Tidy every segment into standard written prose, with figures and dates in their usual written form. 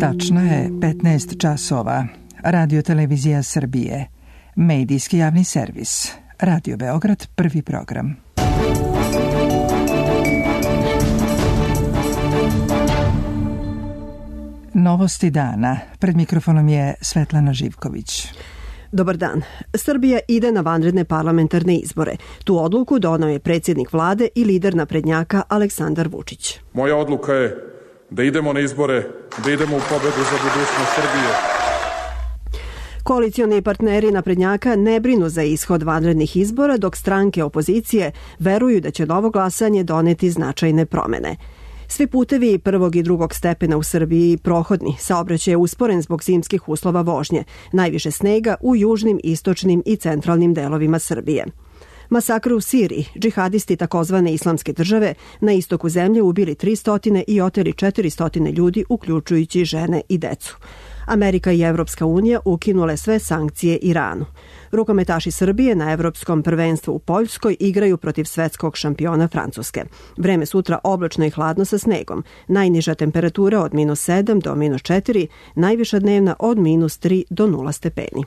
Tačno je 15 časova. Radio Televizija Srbije. Medijski javni servis. Radio Beograd, prvi program. Novosti dana. Pred mikrofonom je Svetlana Živković. Dobar dan. Srbija ide na vanredne parlamentarne izbore. Tu odluku doneo je predsjednik vlade i lider naprednjaka Aleksandar Vučić. Moja odluka je da idemo na izbore, da idemo u pobedu za budućnost Srbije. Koalicioni partneri naprednjaka ne brinu za ishod vanrednih izbora, dok stranke opozicije veruju da će novo glasanje doneti značajne promene. Svi putevi prvog i drugog stepena u Srbiji prohodni, saobraćaj je usporen zbog zimskih uslova vožnje, najviše snega u južnim, istočnim i centralnim delovima Srbije. Masakr u Siriji, džihadisti takozvane islamske države na istoku zemlje ubili 300 i oteli 400 ljudi, uključujući žene i decu. Amerika i Evropska unija ukinule sve sankcije Iranu. Rukometaši Srbije na Evropskom prvenstvu u Poljskoj igraju protiv svetskog šampiona Francuske. Vreme sutra oblačno i hladno sa snegom. Najniža temperatura od -7 do -4, najviša dnevna od -3 do 0 stepeni.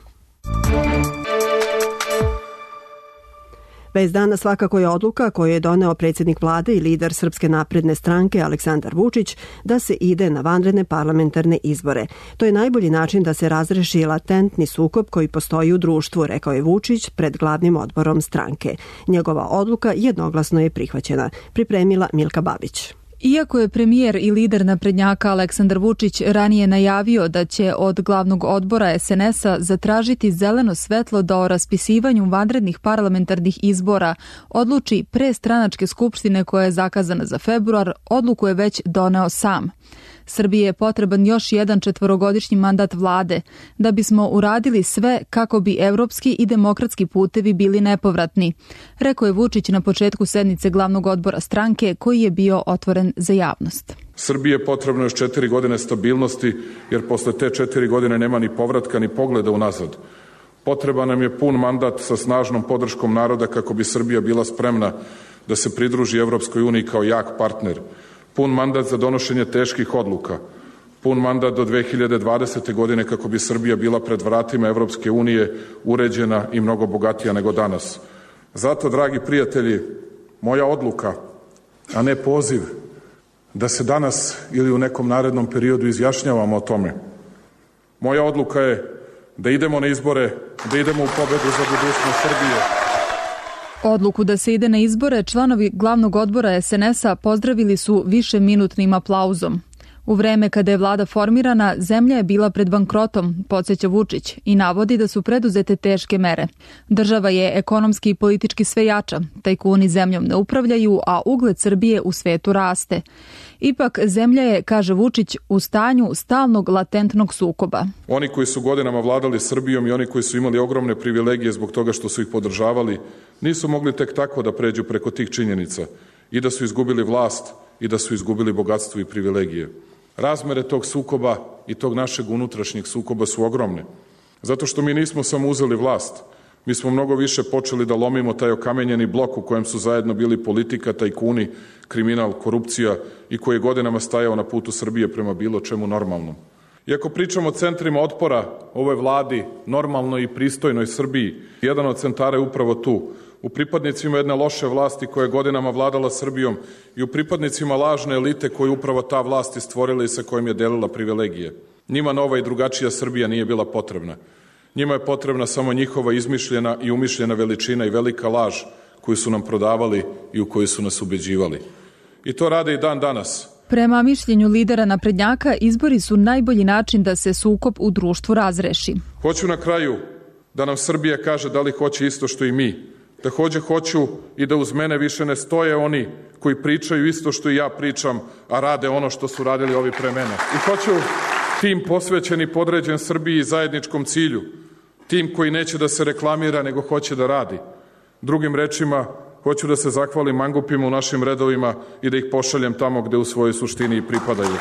Bez dana svakako je odluka koju je doneo predsjednik vlade i lider Srpske napredne stranke Aleksandar Vučić da se ide na vanredne parlamentarne izbore. To je najbolji način da se razreši latentni sukob koji postoji u društvu, rekao je Vučić pred glavnim odborom stranke. Njegova odluka jednoglasno je prihvaćena, pripremila Milka Babić. Iako je premijer i lider naprednjaka Aleksandar Vučić ranije najavio da će od glavnog odbora SNS-a zatražiti zeleno svetlo da o raspisivanju vanrednih parlamentarnih izbora odluči pre stranačke skupštine koja je zakazana za februar, odluku je već doneo sam. Srbiji je potreban još jedan 4-godišnji mandat vlade, da bismo uradili sve kako bi evropski i demokratski putevi bili nepovratni, rekao je Vučić na početku sednice glavnog odbora stranke koji je bio otvoren za javnost. Srbiji je potrebno još 4 godine stabilnosti, jer posle te 4 godine nema ni povratka ni pogleda unazad. Potreban nam je pun mandat sa snažnom podrškom naroda kako bi Srbija bila spremna da se pridruži Evropskoj uniji kao jak partner. Pun mandat za donošenje teških odluka, pun mandat do 2020. godine kako bi Srbija bila pred vratima Evropske unije uređena i mnogo bogatija nego danas. Zato, dragi prijatelji, moja odluka, a ne poziv, da se danas ili u nekom narednom periodu izjašnjavamo o tome. Moja odluka je da idemo na izbore, da idemo u pobedu za budućnost Srbije. Odluku da se ide na izbore članovi glavnog odbora SNS-a pozdravili su višeminutnim aplauzom. U vreme kada je vlada formirana, zemlja je bila pred bankrotom, podsjeća Vučić, i navodi da su preduzete teške mere. Država je ekonomski i politički sve jača, tajkuni zemljom ne upravljaju, a ugled Srbije u svetu raste. Ipak, zemlja je, kaže Vučić, u stanju stalnog latentnog sukoba. Oni koji su godinama vladali Srbijom i oni koji su imali ogromne privilegije zbog toga što su ih podržavali, nisu mogli tek tako da pređu preko tih činjenica i da su izgubili vlast i da su izgubili bogatstvo i privilegije. Razmere tog sukoba i tog našeg unutrašnjeg sukoba su ogromne. Zato što mi nismo samo uzeli vlast, mi smo mnogo više počeli da lomimo taj okamenjeni blok u kojem su zajedno bili politika, tajkuni, kriminal, korupcija i koji je godinama stajao na putu Srbije prema bilo čemu normalnom. Iako pričamo o centrima otpora ovoj vladi, normalnoj i pristojnoj Srbiji, jedan od centara je upravo tu, u pripadnicima jedne loše vlasti koja je godinama vladala Srbijom i u pripadnicima lažne elite koju upravo ta vlast je stvorila i sa kojim je delila privilegije. Njima nova i drugačija Srbija nije bila potrebna. Njima je potrebna samo njihova izmišljena i umišljena veličina i velika laž koju su nam prodavali i u koju su nas ubeđivali. I to rade i dan danas. Prema mišljenju lidera naprednjaka, izbori su najbolji način da se sukob u društvu razreši. Hoću na kraju da nam Srbija kaže da li hoće isto što i mi. Takođe hoću i da uz mene više ne stoje oni koji pričaju isto što i ja pričam, a rade ono što su radili ovi pre mene. I hoću tim posvećen i podređen Srbiji i zajedničkom cilju, tim koji neće da se reklamira nego hoće da radi. Drugim rečima, hoću da se zahvalim mangupima u našim redovima i da ih pošaljem tamo gde u svojoj suštini i pripadaju.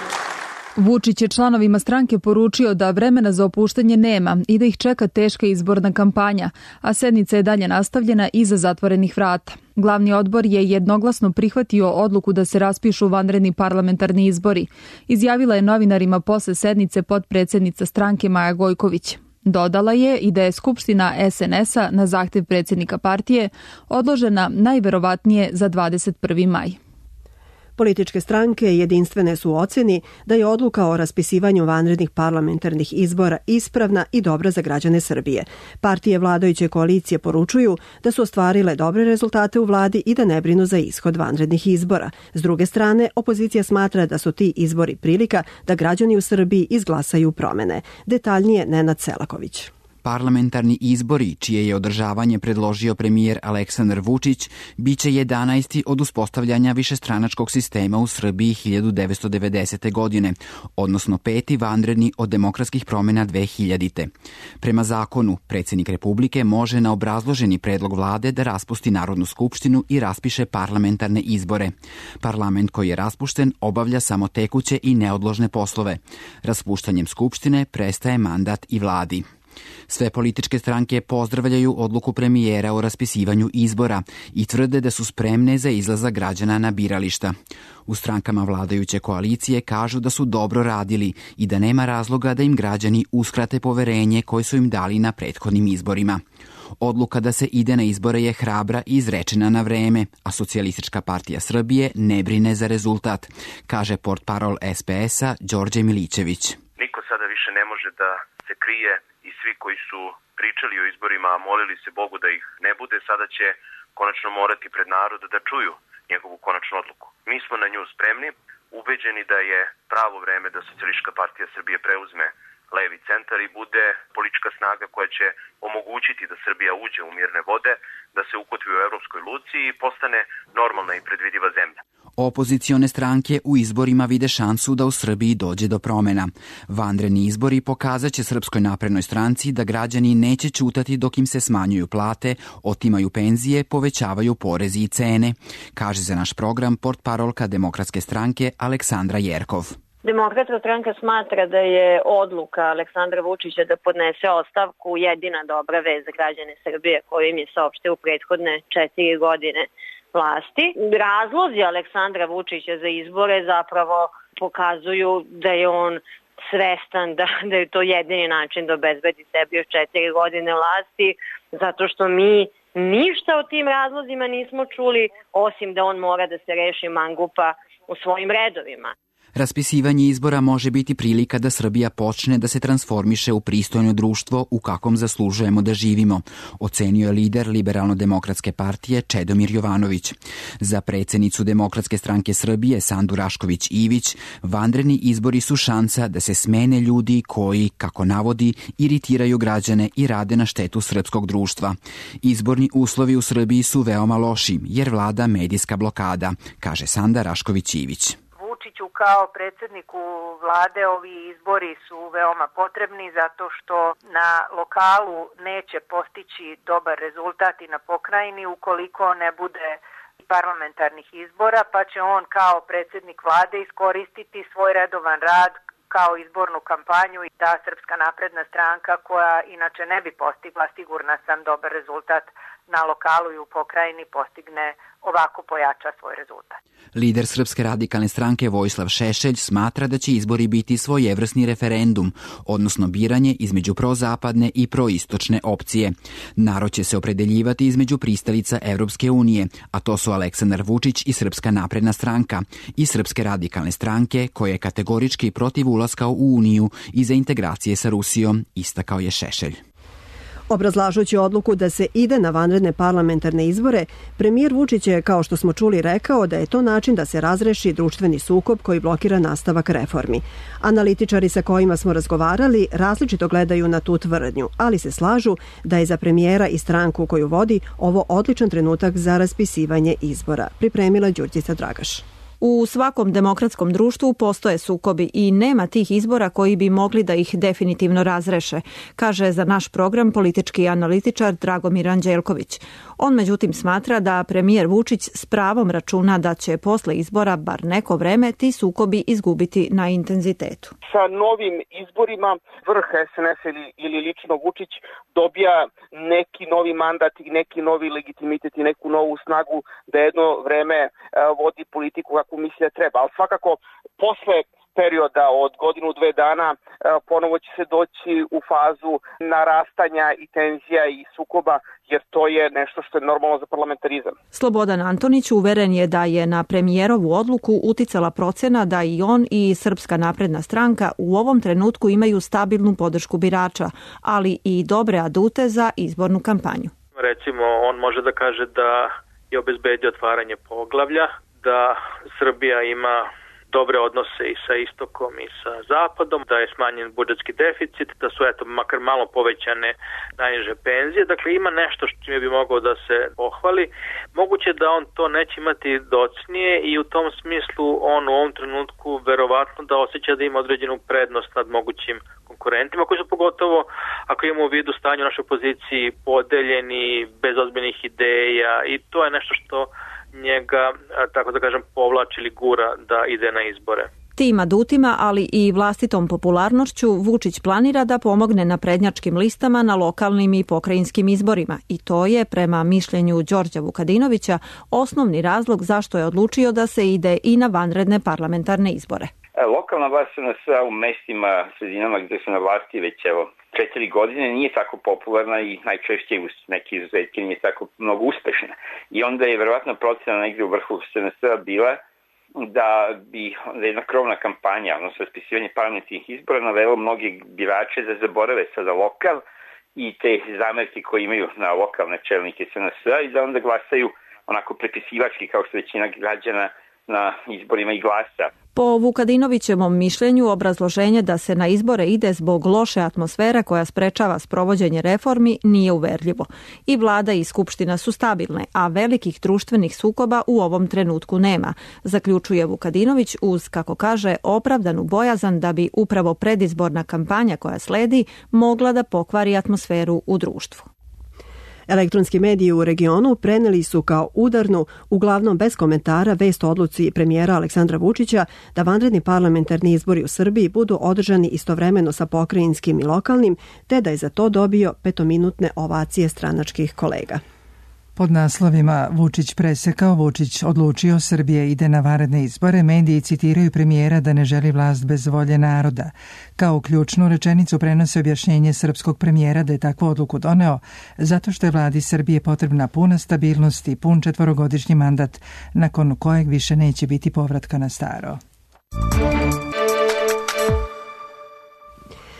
Vučić je članovima stranke poručio da vremena za opuštanje nema i da ih čeka teška izborna kampanja, a sednica je dalje nastavljena iza zatvorenih vrata. Glavni odbor je jednoglasno prihvatio odluku da se raspišu vanredni parlamentarni izbori, izjavila je novinarima posle sednice potpredsednica stranke Maja Gojković. Dodala je i da je Skupština SNS-a na zahtev predsjednika partije odložena najverovatnije za 21. maj. Političke stranke jedinstvene su u ocjeni da je odluka o raspisivanju vanrednih parlamentarnih izbora ispravna i dobra za građane Srbije. Partije vladajuće koalicije poručuju da su ostvarile dobre rezultate u vladi i da ne brinu za ishod vanrednih izbora. S druge strane, opozicija smatra da su ti izbori prilika da građani u Srbiji izglasaju promene. Detaljnije Nenad Selaković. Parlamentarni izbori, čije je održavanje predložio premijer Aleksandar Vučić, biće 11. od uspostavljanja višestranačkog sistema u Srbiji 1990. godine, odnosno 5. vanredni od demokratskih promjena 2000. Prema zakonu, predsjednik Republike može na obrazloženi predlog vlade da raspusti Narodnu skupštinu i raspiše parlamentarne izbore. Parlament koji je raspušten obavlja samo tekuće i neodložne poslove. Raspuštanjem skupštine prestaje mandat i vladi. Sve političke stranke pozdravljaju odluku premijera o raspisivanju izbora i tvrde da su spremne za izlazak građana na birališta. U strankama vladajuće koalicije kažu da su dobro radili i da nema razloga da im građani uskrate poverenje koje su im dali na prethodnim izborima. Odluka da se ide na izbore je hrabra i izrečena na vreme, a Socijalistička partija Srbije ne brine za rezultat, kaže portparol SPS-a Đorđe Milićević. Niko sada više ne može da se krije i svi koji su pričali o izborima, a molili se Bogu da ih ne bude, sada će konačno morati pred narod da čuju njegovu konačnu odluku. Mi smo na nju spremni, ubeđeni da je pravo vreme da Socijalistička partija Srbije preuzme levi centar i bude politička snaga koja će omogućiti da Srbija uđe u mirne vode, da se ukotvi u evropskoj luci i postane normalna i predvidiva zemlja. Opozicione stranke u izborima vide šansu da u Srbiji dođe do promjena. Vanredni izbori pokazat će Srpskoj naprednoj stranci da građani neće ćutati dok im se smanjuju plate, otimaju penzije, povećavaju porezi i cene, kaže za naš program portparolka Demokratske stranke Aleksandra Jerkov. Demokratska stranka smatra da je odluka Aleksandra Vučića da podnese ostavku jedina dobra vez za građane Srbije koju im je saopštio u prethodne 4 godine vlasti. Razlozi Aleksandra Vučića za izbore zapravo pokazuju da je on svestan da je to jedini način da obezbedi sebi još 4 godine vlasti, zato što mi ništa o tim razlozima nismo čuli, osim da on mora da se reši mangupa u svojim redovima. Raspisivanje izbora može biti prilika da Srbija počne da se transformiše u pristojno društvo u kakvom zaslužujemo da živimo, ocenio je lider Liberalno-demokratske partije Čedomir Jovanović. Za predsjednicu Demokratske stranke Srbije Sandu Rašković-Ivić, vanredni izbori su šansa da se smene ljudi koji, kako navodi, iritiraju građane i rade na štetu srpskog društva. Izborni uslovi u Srbiji su veoma loši jer vlada medijska blokada, kaže Sanda Rašković-Ivić. Vučiću kao predsjedniku vlade ovi izbori su veoma potrebni zato što na lokalu neće postići dobar rezultat i na pokrajini ukoliko ne bude parlamentarnih izbora, pa će on kao predsjednik vlade iskoristiti svoj redovan rad kao izbornu kampanju i ta Srpska napredna stranka koja inače ne bi postigla, sigurna sam, dobar rezultat na lokalu i u pokrajini postigne ovako pojača svoj rezultat. Lider Srpske radikalne stranke Vojislav Šešelj smatra da će izbori biti svojevrsni referendum, odnosno biranje između prozapadne i proistočne opcije. Narod će se opredeljivati između pristalica Evropske unije, a to su Aleksandar Vučić i Srpska napredna stranka i Srpske radikalne stranke koje je kategorički protiv ulaska u Uniju i za integracije sa Rusijom, istakao je Šešelj. Obrazlažući odluku da se ide na vanredne parlamentarne izbore, premijer Vučić je, kao što smo čuli, rekao da je to način da se razreši društveni sukob koji blokira nastavak reformi. Analitičari sa kojima smo razgovarali različito gledaju na tu tvrdnju, ali se slažu da je za premijera i stranku koju vodi ovo odličan trenutak za raspisivanje izbora, pripremila Đurđica Dragaš. U svakom demokratskom društvu postoje sukobi i nema tih izbora koji bi mogli da ih definitivno razreše, kaže za naš program politički analitičar Dragomir Anđelković. On međutim smatra da premijer Vučić s pravom računa da će posle izbora bar neko vreme ti sukobi izgubiti na intenzitetu. Sa novim izborima vrh SNS ili lično Vučić dobija neki novi mandat i neki novi legitimitet i neku novu snagu da jedno vreme vodi politiku kako misli da treba. Ali svakako posle perioda od godinu, 2 dana ponovo će se doći u fazu narastanja i tenzija i sukoba, jer to je nešto što je normalno za parlamentarizam. Slobodan Antonić uveren je da je na premijerovu odluku uticala procena da i on i Srpska napredna stranka u ovom trenutku imaju stabilnu podršku birača, ali i dobre adute za izbornu kampanju. Recimo, on može da kaže da je obezbedio otvaranje poglavlja, da Srbija ima dobre odnose i sa istokom i sa zapadom, da je smanjen budžetski deficit, da su makar malo povećane najniže penzije. Dakle, ima nešto što bi mogao da se pohvali. Moguće da on to neće imati docnije i u tom smislu on u ovom trenutku verovatno da osjeća da ima određenu prednost nad mogućim konkurentima, koji su pogotovo, ako imamo u vidu stanje u našoj poziciji, podeljeni, bez ozbiljnih ideja, i to je nešto što njega, tako da kažem, povlači ili gura da ide na izbore. Tim adutima, ali i vlastitom popularnošću, Vučić planira da pomogne naprednjačkim listama na lokalnim i pokrajinskim izborima i to je, prema mišljenju Đorđa Vukadinovića, osnovni razlog zašto je odlučio da se ide i na vanredne parlamentarne izbore. Lokalna vlast u mestima, sredinama gde su na vlasti već 4 godine nije tako popularna i najčešće uz neke izuzetke nije tako mnogo uspešna. I onda je verovatno procena negde u vrhu SNS-a bila da bi jedna krovna kampanja, odnosno raspisivanje parlamentarnih izbora, navelo mnoge birače da zaborave sada lokal i te zamerke koje imaju na lokalne čelnike SNS-a i da onda glasaju onako prepisivački kao što većina građana na izborima i glasa. Po Vukadinovićevom mišljenju, obrazloženje da se na izbore ide zbog loše atmosfere koja sprečava sprovođenje reformi nije uverljivo. I vlada i skupština su stabilne, a velikih društvenih sukoba u ovom trenutku nema, zaključuje Vukadinović uz, kako kaže, opravdanu bojazan da bi upravo predizborna kampanja koja sledi mogla da pokvari atmosferu u društvu. Elektronski mediji u regionu preneli su kao udarnu, uglavnom bez komentara, vest o odluci premijera Aleksandra Vučića da vanredni parlamentarni izbori u Srbiji budu održani istovremeno sa pokrajinskim i lokalnim, te da je za to dobio 5-minutne ovacije stranačkih kolega. Pod naslovima Vučić presekao, Vučić odlučio, Srbija ide na vanredne izbore, mediji citiraju premijera da ne želi vlast bez volje naroda. Kao ključnu rečenicu prenose objašnjenje srpskog premijera da je takvu odluku doneo zato što je vladi Srbije potrebna puna stabilnost i pun 4-godišnji mandat nakon kojeg više neće biti povratka na staro.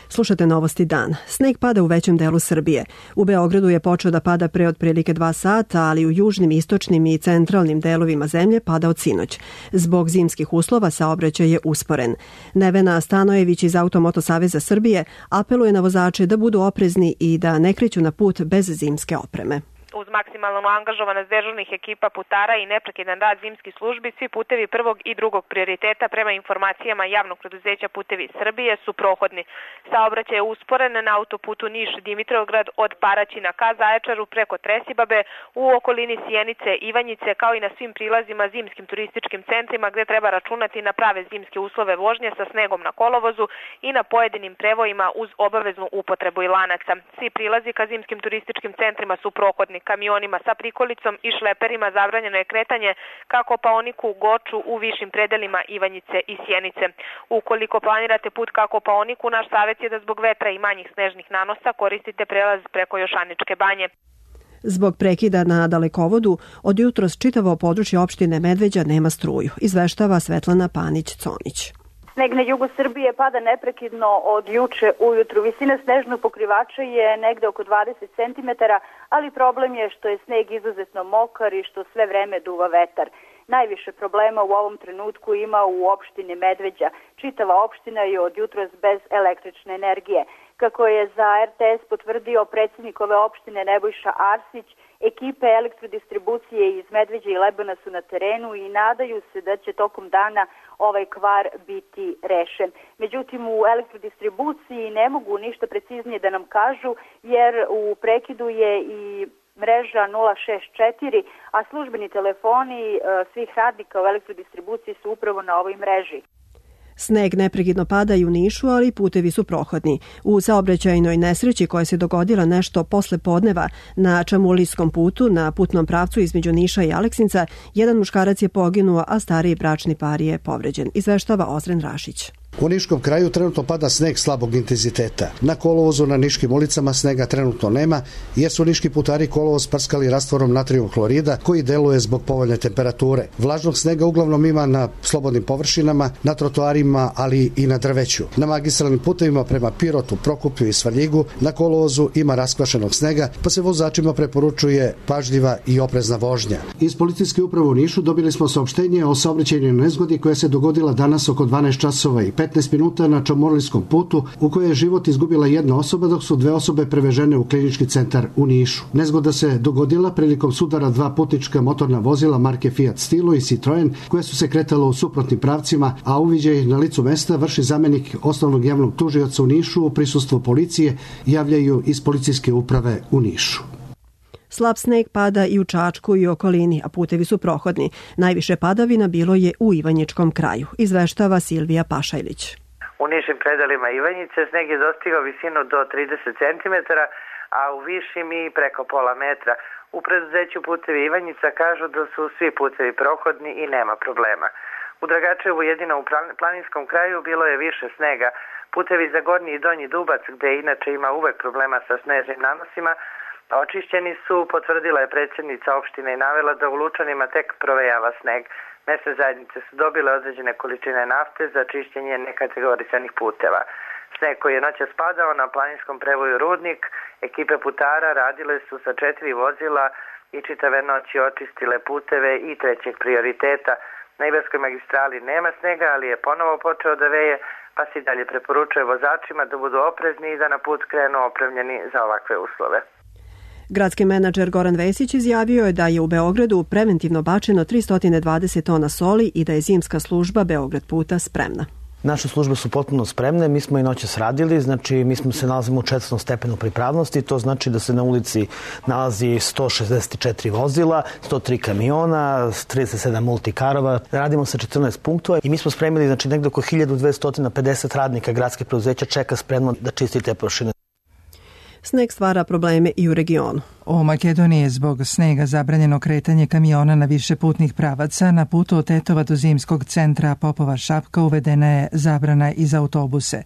Slušate Novosti dan. Sneg pada u većem delu Srbije. U Beogradu je počeo da pada pre otprilike 2 sata, ali u južnim, istočnim i centralnim delovima zemlje pada od sinoć. Zbog zimskih uslova saobraćaj je usporen. Nevena Stanojević iz Automoto Saveza Srbije apeluje na vozače da budu oprezni i da ne kreću na put bez zimske opreme. Uz maksimalnu angažovanost dežurnih ekipa putara i neprekidan rad zimskih službi, svi putevi prvog i drugog prioriteta prema informacijama javnog preduzeća Putevi Srbije su prohodni. Saobraćaj je usporen na autoputu Niš-Dimitrovgrad od Paraćina ka Zaječaru preko Tresibabe, u okolini Sjenice, Ivanjice, kao i na svim prilazima zimskim turističkim centrima gde treba računati na prave zimske uslove vožnje sa snegom na kolovozu i na pojedinim prevojima uz obaveznu upotrebu i lanaca. Svi prilazi ka zimskim turističkim centrima su prohodni. Kamionima sa prikolicom i šleperima zabranjeno je kretanje ka Kopaoniku, Goču, u višim predelima Ivanjice i Sjenice. Ukoliko planirate put ka Kopaoniku, naš savjet je da zbog vetra i manjih snežnih nanosa koristite prelaz preko Jošaničke banje. Zbog prekida na dalekovodu, od jutros čitavo područje opštine Medveđa nema struju, izveštava Svetlana Panić-Conić. Sneg na jugu Srbije pada neprekidno od juče ujutru. Visina snežnog pokrivača je negde oko 20 cm, ali problem je što je sneg izuzetno mokar i što sve vreme duva vetar. Najviše problema u ovom trenutku ima u opštini Medveđa. Čitava opština je od jutros bez električne energije. Kako je za RTS potvrdio predsjednik ove opštine Nebojša Arsić, Ekipe elektrodistribucije iz Medveđe i Lebana su na terenu i nadaju se da će tokom dana ovaj kvar biti rešen. Međutim, u elektrodistribuciji ne mogu ništa preciznije da nam kažu, jer u prekidu je i mreža 064, a službeni telefoni svih radnika u elektrodistribuciji su upravo na ovoj mreži. Sneg neprekidno pada i u Nišu, ali putevi su prohodni. U saobraćajnoj nesreći koja se dogodila nešto posle podneva na Čamulijskom putu na putnom pravcu između Niša i Aleksinca, jedan muškarac je poginuo, a stariji bračni par je povređen. Izveštava Ozren Rašić. U Niškom kraju trenutno pada sneg slabog intenziteta. Na kolovozu na niškim ulicama snega trenutno nema, jer su niški putari kolovoz prskali rastvorom natrijum hlorida koji deluje zbog povoljne temperature. Vlažnog snega uglavnom ima na slobodnim površinama, na trotoarima, ali i na drveću. Na magistralnim putevima prema Pirotu, Prokuplju i Svrljigu na kolovozu ima raskvašenog snega, pa se vozačima preporučuje pažljiva i oprezna vožnja. Iz policijske uprave u Nišu dobili smo saopštenje o saobraćajnoj nezgodi koja se dogodila danas oko 12 časova i 15 minuta na Čamulijskom putu, u kojoj je život izgubila jedna osoba, dok su 2 osobe prevežene u klinički centar u Nišu. Nezgoda se dogodila prilikom sudara 2 putnička motorna vozila marke Fiat Stilo i Citroen, koje su se kretala u suprotnim pravcima, a uviđaj na licu mesta vrši zamenik osnovnog javnog tužioca u Nišu u prisustvu policije, javljaju iz policijske uprave u Nišu. Slab sneg pada i u Čačku i okolini, a putevi su prohodni. Najviše padavina bilo je u Ivanjičkom kraju, izveštava Silvija Pašajlić. U nižim predelima Ivanjice sneg je dostigao visinu do 30 cm, a u višim i preko pola metra. U preduzeću Putevi Ivanjica kažu da su svi putevi prohodni i nema problema. U Dragačevu, jedino u planinskom kraju, bilo je više snega. Putevi za Gornji i Donji Dubac, gde inače ima uvek problema sa snežnim nanosima, očišćeni su, potvrdila je predsjednica opštine i navela da u Lučanima tek provejava sneg. Mesne zajednice su dobile određene količine nafte za čišćenje nekategorisanih puteva. Sneg koji je noćas padao na planinskom prevoju Rudnik, ekipe putara radile su sa 4 vozila i čitave noći očistile puteve i trećeg prioriteta. Na Ibarskoj magistrali nema snega, ali je ponovo počeo da veje, pa se i dalje preporučuje vozačima da budu oprezni i da na put krenu opremljeni za ovakve uslove. Gradski menadžer Goran Vesić izjavio je da je u Beogradu preventivno bačeno 320 tona soli i da je zimska služba Beograd puta spremna. Naše službe su potpuno spremne, mi smo i noćas radili, znači mi se nalazimo u 4. stepenu pripravnosti, to znači da se na ulici nalazi 164 vozila, 103 kamiona, 37 multikarova, radimo sa 14 punktova i mi smo spremili, znači negdje oko 1250 radnika gradskih preduzeća čeka spremno da čisti te površine. Sneg stvara probleme i u regionu. U Makedoniji je zbog snega zabranjeno kretanje kamiona na više putnih pravaca. Na putu od Tetova do zimskog centra Popova Šapka uvedena je zabrana i za autobuse.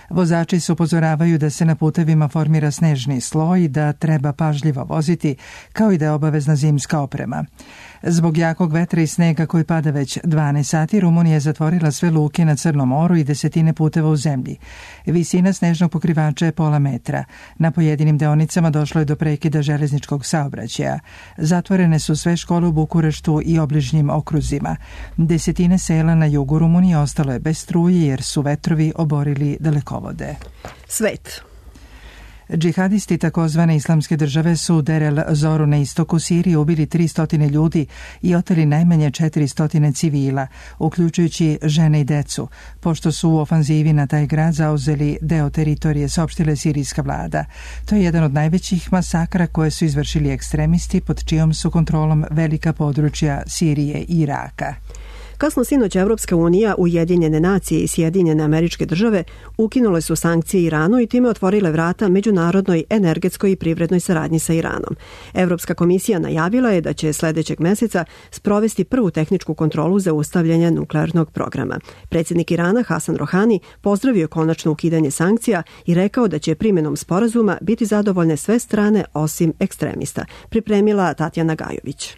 Vozači se upozoravaju da se na putevima formira snežni sloj i da treba pažljivo voziti, kao i da je obavezna zimska oprema. Zbog jakog vetra i snega koji pada već 12 sati, Rumunija je zatvorila sve luke na Crnom moru i desetine puteva u zemlji. Visina snežnog pokrivača je pola metra. Na pojedinim deonicama došlo je do prekida železničkog saobraćaja. Zatvorene su sve škole u Bukureštu i obližnjim okruzima. Desetine sela na jugu Rumunije ostalo je bez struje jer su vetrovi oborili dalekovode. Svet. Džihadisti takozvane islamske države su Der el Zoru na istoku Sirije ubili 300 ljudi i oteli najmanje 400 civila, uključujući žene i decu, pošto su u ofanzivi na taj grad zauzeli deo teritorije, saopštila sirijska vlada. To je jedan od najvećih masakra koje su izvršili ekstremisti pod čijom su kontrolom velika područja Sirije i Iraka. Kasno sinoć Evropska unija, Ujedinjene nacije i Sjedinjene Američke Države ukinule su sankcije Iranu i time otvorile vrata međunarodnoj energetskoj i privrednoj saradnji sa Iranom. Evropska komisija najavila je da će sljedećeg meseca sprovesti prvu tehničku kontrolu zaustavljanja nuklearnog programa. Predsjednik Irana Hasan Rohani pozdravio konačno ukidanje sankcija i rekao da će primjenom sporazuma biti zadovoljne sve strane osim ekstremista, pripremila Tatjana Gajović.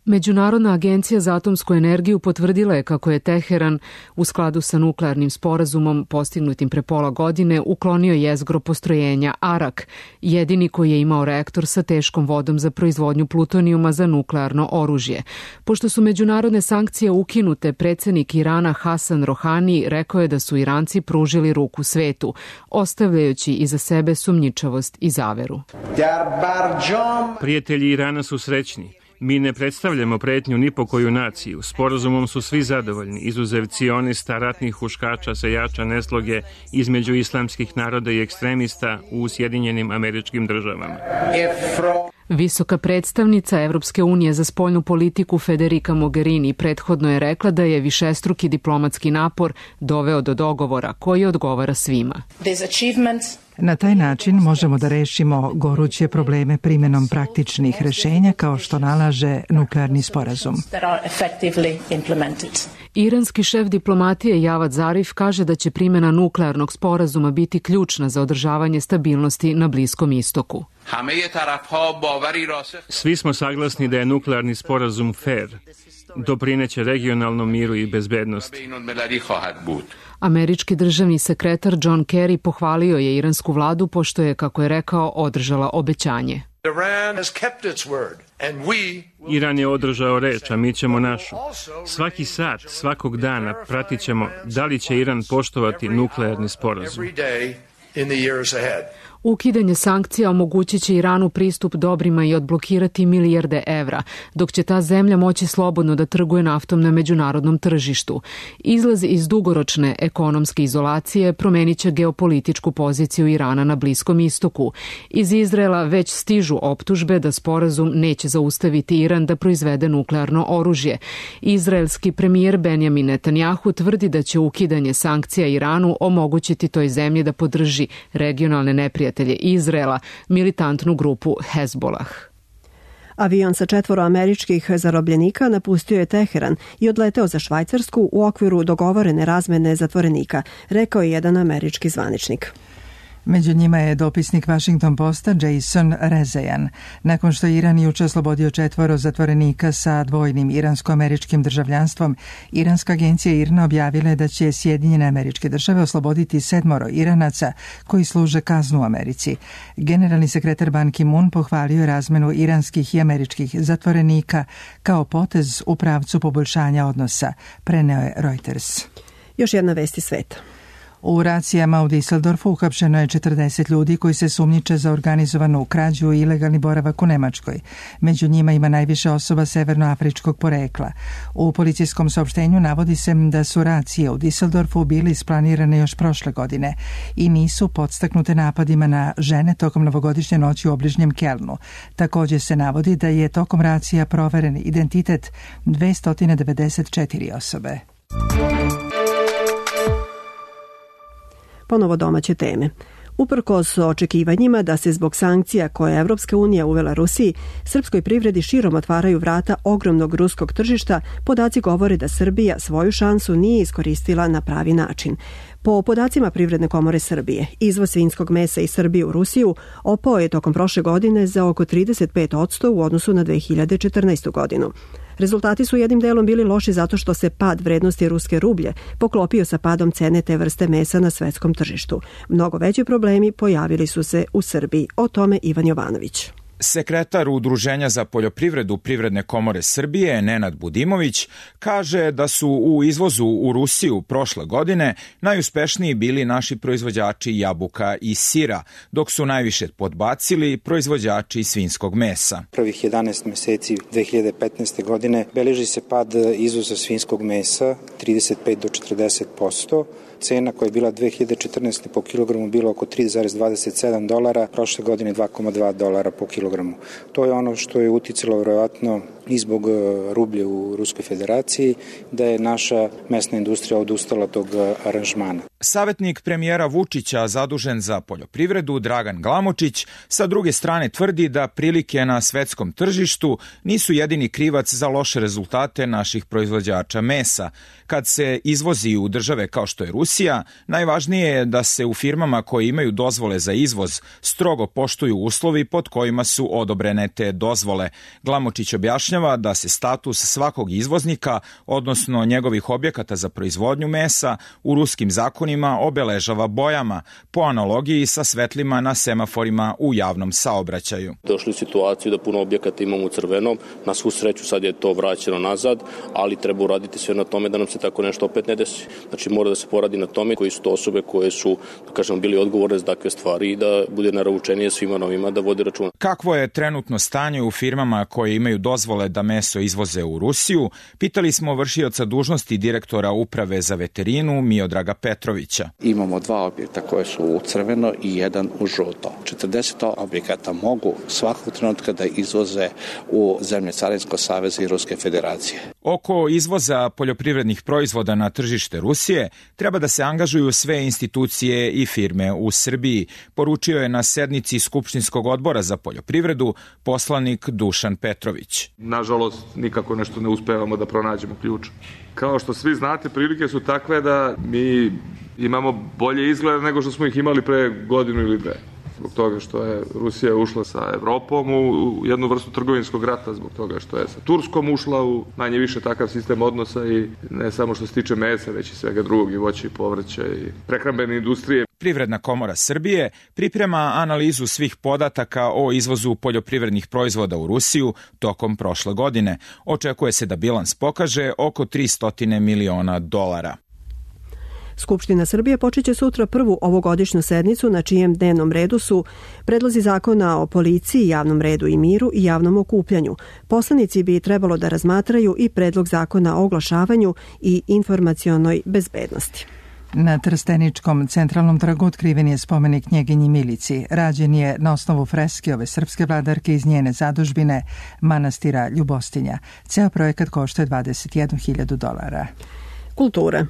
Međunarodna agencija za atomsku energiju potvrdila je kako je Teheran u skladu sa nuklearnim sporazumom postignutim pre pola godine uklonio jezgro postrojenja Arak, jedini koji je imao reaktor sa teškom vodom za proizvodnju plutonijuma za nuklearno oružje. Pošto su međunarodne sankcije ukinute, predsjednik Irana Hasan Rohani rekao je da su Iranci pružili ruku svetu, ostavljajući iza sebe sumnjičavost i zaveru. Prijatelji Irana su srećni. Mi ne predstavljamo pretnju ni po koju naciju. Sporazumom su svi zadovoljni, izuzev cionista, ratnih huškača, sejača nesloge između islamskih naroda i ekstremista u Sjedinjenim Američkim Državama. Visoka predstavnica Evropske unije za spoljnu politiku Federica Mogherini prethodno je rekla da je višestruki diplomatski napor doveo do dogovora koji odgovara svima. Na taj način možemo da rešimo goruće probleme primjenom praktičnih rešenja kao što nalaže nuklearni sporazum. Iranski šef diplomatije Javad Zarif kaže da će primjena nuklearnog sporazuma biti ključna za održavanje stabilnosti na Bliskom istoku. Svi smo saglasni da je nuklearni sporazum fair, doprineće regionalnom miru i bezbednosti. Američki državni sekretar John Kerry pohvalio je iransku vladu pošto je, kako je rekao, održala obećanje. Iran je održao reč, a mi ćemo našu. Svaki sat, svakog dana pratit ćemo da li će Iran poštovati nuklearni sporazum. Ukidanje sankcija omogućit će Iranu pristup dobrima i odblokirati milijarde evra, dok će ta zemlja moći slobodno da trguje naftom na međunarodnom tržištu. Izlaz iz dugoročne ekonomske izolacije promenit će geopolitičku poziciju Irana na Bliskom istoku. Iz Izraela već stižu optužbe da sporazum neće zaustaviti Iran da proizvede nuklearno oružje. Izraelski premijer Benjamin Netanjahu tvrdi da će ukidanje sankcija Iranu omogućiti toj zemlji da podrži regionalne neprijatelje Izraela, militantnu grupu Hezbollah. Avion sa 4 američkih zarobljenika napustio je Teheran i odleteo za Švajcarsku u okviru dogovorene razmene zatvorenika, rekao je jedan američki zvaničnik. Među njima je dopisnik Washington Posta Jason Rezaian. Nakon što je Iran juče oslobodio 4 zatvorenika sa dvojnim iransko-američkim državljanstvom, iranska agencija IRNA objavila je da će Sjedinjene Američke Države osloboditi 7 Iranaca koji služe kaznu u Americi. Generalni sekretar Ban Ki-moon pohvalio razmenu iranskih i američkih zatvorenika kao potez u pravcu poboljšanja odnosa, preneo je Reuters. Još jedna vest iz sveta. U racijama u Düsseldorfu uhapšeno je 40 ljudi koji se sumnjiče za organizovanu krađu i ilegalni boravak u Nemačkoj. Među njima ima najviše osoba severnoafričkog porekla. U policijskom saopštenju navodi se da su racije u Düsseldorfu bili isplanirane još prošle godine i nisu podstaknute napadima na žene tokom novogodišnje noći u obližnjem Kelnu. Također se navodi da je tokom racija proveren identitet 294 osobe. Ponovo domaće teme. Uprkos očekivanjima da se zbog sankcija koje je Evropska unija uvela Rusiji, srpskoj privredi širom otvaraju vrata ogromnog ruskog tržišta, podaci govore da Srbija svoju šansu nije iskoristila na pravi način. Po podacima Privredne komore Srbije, izvoz svinjskog mesa iz Srbije u Rusiju opao je tokom prošle godine za oko 35% u odnosu na 2014. godinu. Rezultati su jednim delom bili loši zato što se pad vrednosti ruske rublje poklopio sa padom cene te vrste mesa na svetskom tržištu. Mnogo veći problemi pojavili su se u Srbiji. O tome Ivan Jovanović. Sekretar Udruženja za poljoprivredu Privredne komore Srbije, Nenad Budimović, kaže da su u izvozu u Rusiju prošle godine najuspešniji bili naši proizvođači jabuka i sira, dok su najviše podbacili proizvođači svinjskog mesa. Prvih 11 meseci 2015. godine beleži se pad izvoza svinjskog mesa 35 do 40%. Cena koja je bila 2014. po kilogramu bila oko $3,27, prošle godine $2,2 po kilogramu. To je ono što je uticalo vjerojatno i zbog rublje u Ruskoj federaciji, da je naša mesna industrija odustala tog aranžmana. Savetnik premijera Vučića zadužen za poljoprivredu Dragan Glamočić sa druge strane tvrdi da prilike na svetskom tržištu nisu jedini krivac za loše rezultate naših proizvođača mesa. Kad se izvozi u države kao što je Rusija, najvažnije je da se u firmama koje imaju dozvole za izvoz strogo poštuju uslovi pod kojima su odobrene te dozvole. Glamočić objašnjava podrazumeva da se status svakog izvoznika, odnosno njegovih objekata za proizvodnju mesa, u ruskim zakonima obeležava bojama, po analogiji sa svetlima na semaforima u javnom saobraćaju. Došli u situaciju da puno objekata imamo u crvenom, na svu sreću sad je to vraćeno nazad, ali treba uraditi sve na tome da nam se tako nešto opet ne desi. Znači mora da se poradi na tome koji su to osobe koje su, da kažemo, bili odgovorne za takve stvari i da bude naravčenije svima novima da vode računa. Kakvo je trenutno stanje u firmama koje imaju dozvole da meso izvoze u Rusiju? Pitali smo vršioca dužnosti direktora Uprave za veterinu Miodraga Petrovića. Imamo 2 objekta koje su u crveno i jedan u žuto. 40 objekata mogu svakog trenutka da izvoze u zemlje Carinskog saveza i Ruske federacije. Oko izvoza poljoprivrednih proizvoda na tržište Rusije treba da se angažuju sve institucije i firme u Srbiji, poručio je na sednici Skupštinskog odbora za poljoprivredu poslanik Dušan Petrović. Nažalost, nikako nešto ne uspevamo da pronađemo ključ. Kao što svi znate, prilike su takve da mi imamo bolje izgled nego što smo ih imali pre godinu ili dve. Zbog toga što je Rusija ušla sa Evropom u jednu vrstu trgovinskog rata, zbog toga što je sa Turskom ušla u manje više takav sistem odnosa i ne samo što se tiče mesa, već i svega drugog, i voća i povrća i prehrambene industrije. Privredna komora Srbije priprema analizu svih podataka o izvozu poljoprivrednih proizvoda u Rusiju tokom prošle godine. Očekuje se da bilans pokaže oko $300 miliona. Skupština Srbije počeće sutra prvu ovogodišnju sednicu na čijem dnevnom redu su predlozi zakona o policiji, javnom redu i miru i javnom okupljanju. Poslanici bi trebalo da razmatraju i predlog zakona o oglašavanju i informacionoj bezbednosti. Na Trsteničkom centralnom trgu otkriven je spomenik Knjeginji Milici. Rađen je na osnovu freske ove srpske vladarke iz njene zadužbine manastira Ljubostinja. Ceo projekat košta $21.000. Kultura.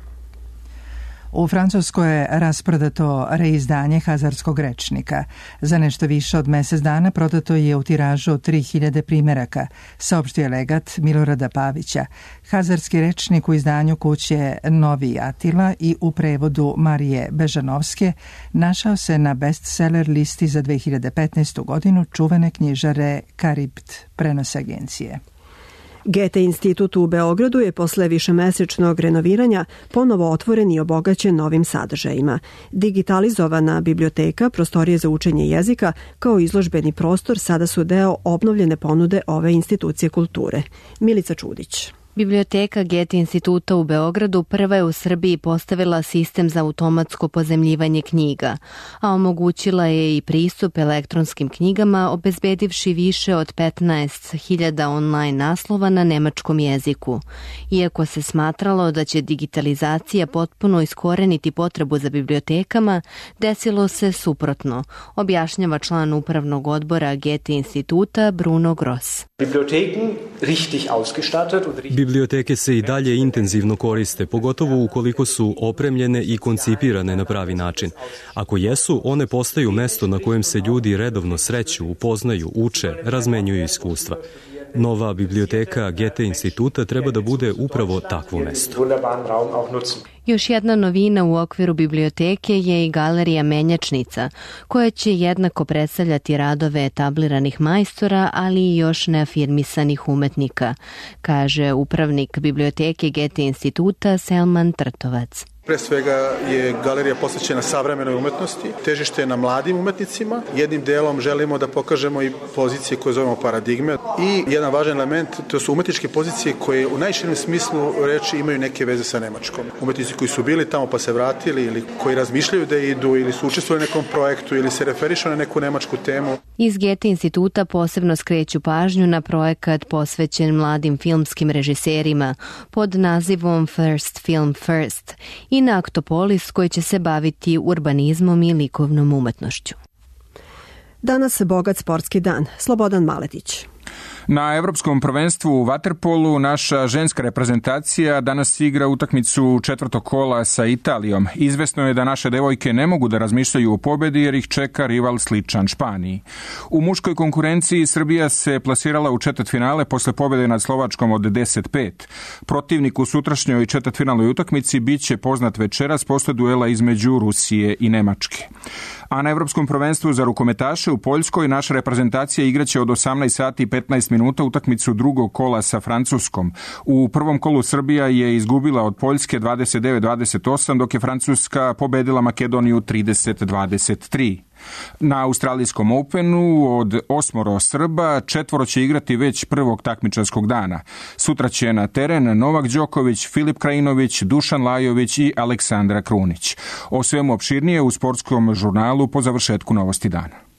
U Francuskoj je rasprodato reizdanje Hazarskog rečnika. Za nešto više od mesec dana prodato je u tiražu 3000 primeraka, saopštio je legat Milorada Pavića. Hazarski rečnik u izdanju kuće Novi Atila i u prevodu Marije Bežanovske našao se na bestseller listi za 2015. godinu čuvene knjižare Karibt, prenos agencije. Goethe institut u Beogradu je posle višemesečnog renoviranja ponovo otvoren i obogaćen novim sadržajima. Digitalizovana biblioteka, prostorije za učenje jezika, kao izložbeni prostor sada su deo obnovljene ponude ove institucije kulture. Milica Čudić. Biblioteka Goethe instituta u Beogradu prva je u Srbiji postavila sistem za automatsko pozemljivanje knjiga, a omogućila je i pristup elektronskim knjigama, obezbedivši više od 15.000 online naslova na nemačkom jeziku. Iako se smatralo da će digitalizacija potpuno iskoreniti potrebu za bibliotekama, desilo se suprotno, objašnjava član upravnog odbora Goethe instituta Bruno Gross. Biblioteke se i dalje intenzivno koriste, pogotovo ukoliko su opremljene i koncipirane na pravi način. Ako jesu, one postaju mesto na kojem se ljudi redovno sreću, upoznaju, uče, razmenjuju iskustva. Nova biblioteka Goethe instituta treba da bude upravo takvo mesto. Još jedna novina u okviru biblioteke je i galerija Menjačnica, koja će jednako predstavljati radove etabliranih majstora, ali i još neafirmisanih umetnika, kaže upravnik biblioteke Goethe instituta Selman Trtovac. Pre svega je galerija posvećena savremenoj umetnosti, težište je na mladim umetnicima. Jednim delom želimo da pokažemo i pozicije koje zovemo paradigme. I jedan važan element, to su umetničke pozicije koje u najširem smislu reči imaju neke veze sa Nemačkom. Umetnici koji su bili tamo pa se vratili ili koji razmišljaju da idu ili su učestvovali u nekom projektu ili se referišu na neku nemačku temu. Iz Goethe instituta posebno skreću pažnju na projekat posvećen mladim filmskim režiserima pod nazivom First Film First i na Aktopolis koji će se baviti urbanizmom i likovnom umetnošću. Danas bogat sportski dan. Slobodan Maletić. Na Evropskom prvenstvu u vaterpolu naša ženska reprezentacija danas igra utakmicu četvrtog kola sa Italijom. Izvesno je da naše devojke ne mogu da razmišljaju o pobedi jer ih čeka rival sličan Španiji. U muškoj konkurenciji Srbija se plasirala u četvrtfinale posle pobede nad Slovačkom od 10-5. Protivnik u sutrašnjoj četvrtfinalnoj utakmici biće poznat večeras posle duela između Rusije i Nemačke. A na Evropskom prvenstvu za rukometaše u Poljskoj naša reprezentacija igraće od 18 sati i 15 minuta utakmicu drugog kola sa Francuskom. U prvom kolu Srbija je izgubila od Poljske 29-28, dok je Francuska pobedila Makedoniju 30-23. Na Australijskom Openu od 8 Srba 4 će igrati već prvog takmičarskog dana. Sutra će na teren Novak Đoković, Filip Krajinović, Dušan Lajović i Aleksandra Krunić. O svemu opširnije u sportskom žurnalu po završetku Novosti dana.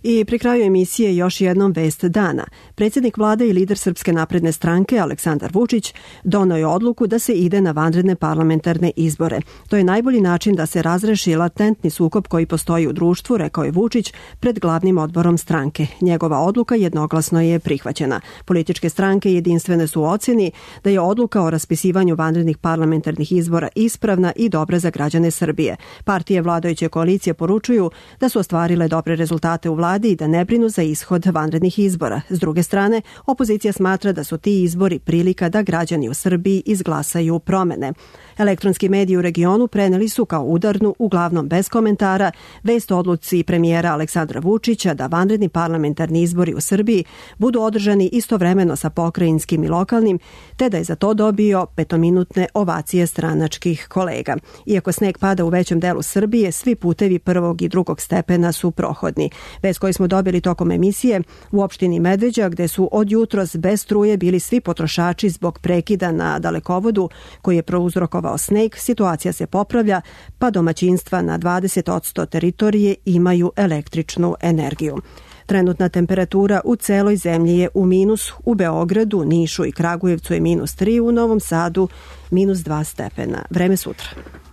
I pri kraju emisije još jednom vest dana. Predsjednik vlade i lider Srpske napredne stranke Aleksandar Vučić doneo je odluku da se ide na vanredne parlamentarne izbore. To je najbolji način da se razreši latentni sukob koji postoji u društvu, rekao je Vučić pred glavnim odborom stranke. Njegova odluka jednoglasno je prihvaćena. Političke stranke jedinstvene su u ocjeni da je odluka o raspisivanju vanrednih parlamentarnih izbora ispravna i dobra za građane Srbije. Partije vladajuće koalicije poručuju da su ostvarile dobre rezultate u vladi i da ne brinu za ishod vanrednih izbora. S druge strane, opozicija smatra da su ti izbori prilika da građani u Srbiji izglasaju promene. Elektronski mediji u regionu preneli su kao udarnu, uglavnom bez komentara, vest o odluci premijera Aleksandra Vučića da vanredni parlamentarni izbori u Srbiji budu održani istovremeno sa pokrajinskim i lokalnim, te da je za to dobio 5-minutne ovacije stranačkih kolega. Iako sneg pada u većem delu Srbije, svi putevi prvog i drugog stepena su prohodni. Vest koju smo dobili tokom emisije u opštini Medveđa, gde su od jutros bez struje bili svi potrošači zbog prekida na dalekovodu koji je prouzrokovao sneg, situacija se popravlja, pa domaćinstva na 20% teritorije imaju električnu energiju. Trenutna temperatura u celoj zemlji je u minusu. U Beogradu, Nišu i Kragujevcu je -3, u Novom Sadu -2 stepena. Vreme sutra.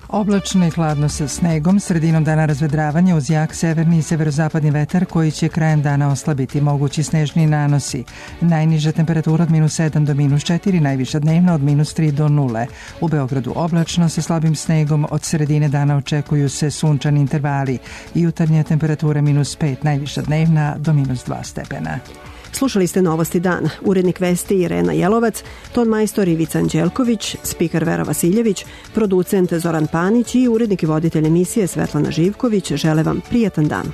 Oblačno i hladno sa snegom, sredinom dana razvedravanje uz jak severni i severozapadni vetar koji će krajem dana oslabiti mogući snežni nanosi. Najniža temperatura od -7 do -4, najviša dnevna od -3 do 0. U Beogradu oblačno sa slabim snegom, od sredine dana očekuju se sunčani intervali. Jutarnja temperatura -5, najviša dnevna do -2 stepena. Slušali ste Novosti dana. Urednik vesti Irena Jelovac, ton majstor Ivica Anđelković, spiker Vera Vasiljević, producent Zoran Panić i urednik i voditelj emisije Svetlana Živković žele vam prijatan dan.